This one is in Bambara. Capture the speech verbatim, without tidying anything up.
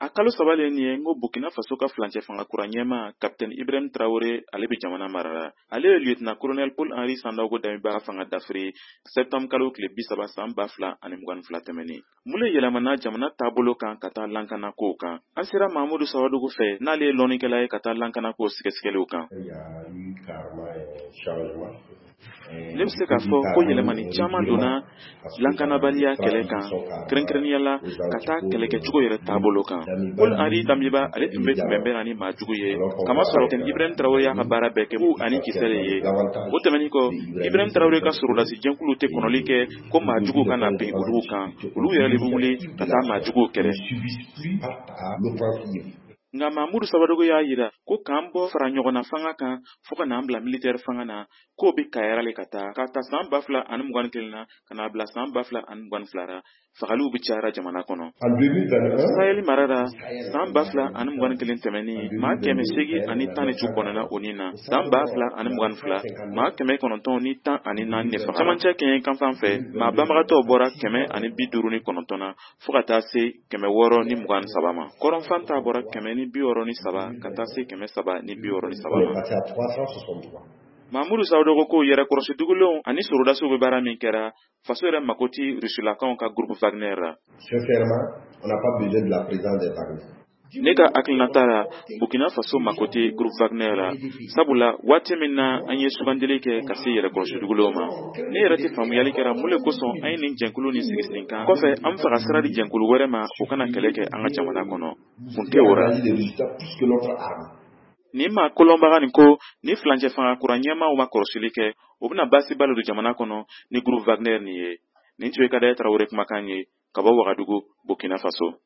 A kalo saba le nin ye n ko Burkina Faso ka filancɛ fanga kura ɲɛma, Capitaine Ibrahim Traoré, ale bɛ jamana mara la. Ale ye lieutenant colonel Paul Henri Sandaogo Damiba fanga dafiri septembre kalo tile bi saba san ba fila ani mugan ni fila tɛmɛnen. Mun le yɛlɛmana jamana taabolo kan ka taa lankana kow kan? An sera Mahamudu Sawadogo fɛ, n'ale ye lɔnnikɛla ye ka taa lankana kow sɛgɛsɛgɛliw kan. Ne bɛ se k'a fɔ ko yɛlɛmani caman donna lankanabaliya kɛlɛ kan, kɛrɛnkɛrɛnnenya la ka taa kɛlɛkɛcogo yɛrɛ taabolo kan. Paul Henri Damiba, ale tun bɛ tun bɛn na ni maa jugu ye, kamasɔrɔ Ibrahim Traoré y'a ka baara bɛɛ kɛ bu ani kisɛ de ye. O tɛmɛnin kɔ, Ibrahim Traoré ka sɔrɔdasi jɛnkulu tɛ kɔnɔli kɛ ko maa jugu ka na bin olu kan, olu yɛrɛ de bɛ wuli ka taa maa juguw kɛlɛ. Nka Mamudu Sawadogo y'a yira ko k'an bɔ fara ɲɔgɔnna fanga kan fo ka n'an bila militaire fanga na, k'o bɛ kayara le ka taa ka ta san ba fila ani mugan ni kelen na ka n'a bila san ba fila ani mugan ni fila la, fagaliw bɛ cayara jamana kɔnɔ. Sahel mara la, san ba fila ani mugan ni kelen tɛmɛnen, maa kɛmɛ seegin ani tan ni cu bɔnɛna o ni na. San ba fila ani mugan ni fila, maa kɛmɛ kɔnɔntɔn ni tan ani naani de faga. Camancɛ kɛɲɛ kanfan fɛ, maa banbagatɔw bɔra kɛmɛ ani bi duuru ni kɔnɔntɔn na fo ka taa se kɛmɛ wɔɔrɔ ni mugan ni saba ma. Kɔrɔnfan ta bɔra kɛmɛ ni bi wɔɔrɔ ni saba ka taa se kɛmɛ saba ni bi wɔɔrɔ ni saba ma. Mamudu Sawadogo ko yɛrɛkɔrɔsi dugulenw ani sorodasiw bɛ baara min kɛra, faso yɛrɛ mako ti rusilakaw ka groupe Wagner la. Sincèrement, on n'a pas besoin de la présence des Wagner. Ne ka hakilinata la, Burkina Faso mako tɛ groupe Wagner la, sabula waati min na an ye sugandili kɛ ka se yɛrɛkɔrɔsi dugulenw ma, ne yɛrɛ tɛ faamuyali kɛra mun le kosɔn an ye nin jɛnkulu nin sigi sen kan. Kɔfɛ, an bɛ fɛ ka sira di jɛnkulu wɛrɛ ma, o kana kɛlɛ kɛ an ka jamana kɔnɔ. Kun tɛ o la. Nin maa kolonbaga nin ko ni filancɛ fanga kura ɲɛmaaw ma kɔlɔsili kɛ, o bɛna baasiba le don jamana kɔnɔ ni groupe Wagner nin ye. Nin tun ye Kadaya Tarawele kumakan ye ka bɔ Wagadugu, Burkina Faso.